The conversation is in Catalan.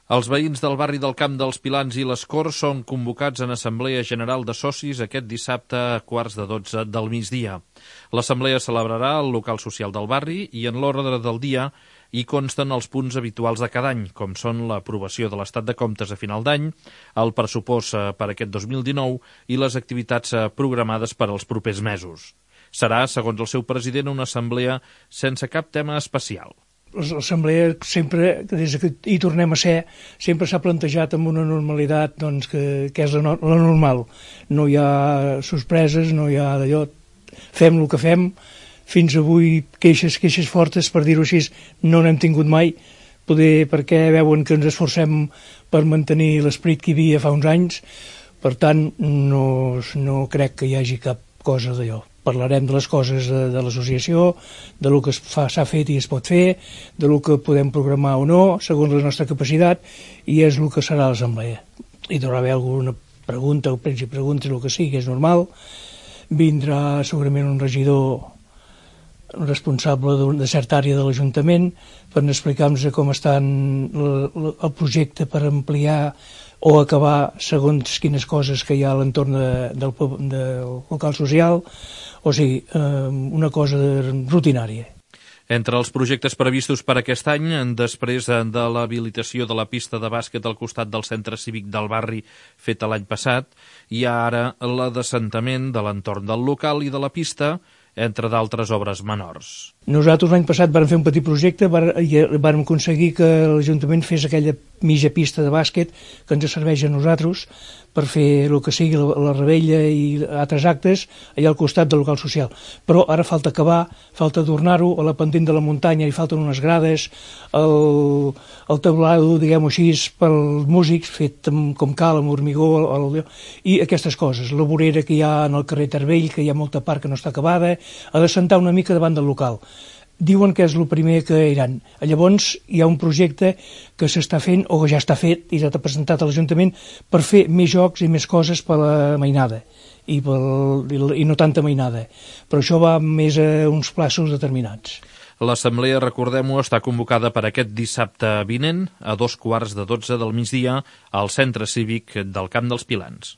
Els veïns del barri del Camp dels Pilans i les Corts són convocats en Assemblea General de Socis aquest dissabte a 11:15 del migdia. L'assemblea celebrarà al local social del barri i en l'ordre del dia hi consten els punts habituals de cada any, com són l'aprovació de l'estat de comptes a final d'any, el pressupost per aquest 2019 i les activitats programades per als propers mesos. Serà, segons el seu president, una assemblea sense cap tema especial. L'assemblea sempre, des que hi tornem a ser, sempre s'ha plantejat amb una normalitat doncs, que és la normal. No hi ha sorpreses, no hi ha d'allò. Fem el que fem. Fins avui queixes fortes, per dir-ho així, no n'hem tingut mai, poder perquè veuen que ens esforcem per mantenir l'esperit que hi havia fa uns anys. Per tant, no crec que hi hagi cap cosa d'allò. Parlarem de les coses de l'associació, de lo que s'ha fet i es pot fer, de lo que podem programar o no, segons la nostra capacitat, i és el que serà l'assemblea. Hi deu haver alguna pregunta o preguntes, el que sigui, és normal. Vindrà segurament un regidor responsable de certa àrea de l'Ajuntament per explicar-nos com està el projecte per ampliar o acabar segons quines coses que hi ha a l'entorn del local social, o sigui, una cosa rutinària. Entre els projectes previstos per aquest any, després de l'habilitació de la pista de bàsquet al costat del centre cívic del barri feta l'any passat, hi ha ara l'assentament de l'entorn del local i de la pista, entre d'altres obres menors. Nosaltres l'any passat vam fer un petit projecte i vam aconseguir que l'Ajuntament fes aquella mitja pista de bàsquet que ens serveix a nosaltres per fer el que sigui la rebella i altres actes allà al costat del local social. Però ara falta acabar, falta adornar-ho, a la pendent de la muntanya hi falten unes grades, el taulado, diguem-ho així, pels músics, fet com cal, amb hormigó, i aquestes coses. La vorera que hi ha en el carrer Tarbell, que hi ha molta part que no està acabada, ha de sentar una mica davant del local. Diuen que és el primer que iran. Llavors hi ha un projecte que s'està fent, o que ja està fet i ja està presentat a l'Ajuntament, per fer més jocs i més coses per la mainada i no tanta mainada. Però això va més a uns plaços determinats. L'assemblea, recordem-ho, està convocada per aquest dissabte vinent a 11:15 del migdia al centre cívic del Camp dels Pilans.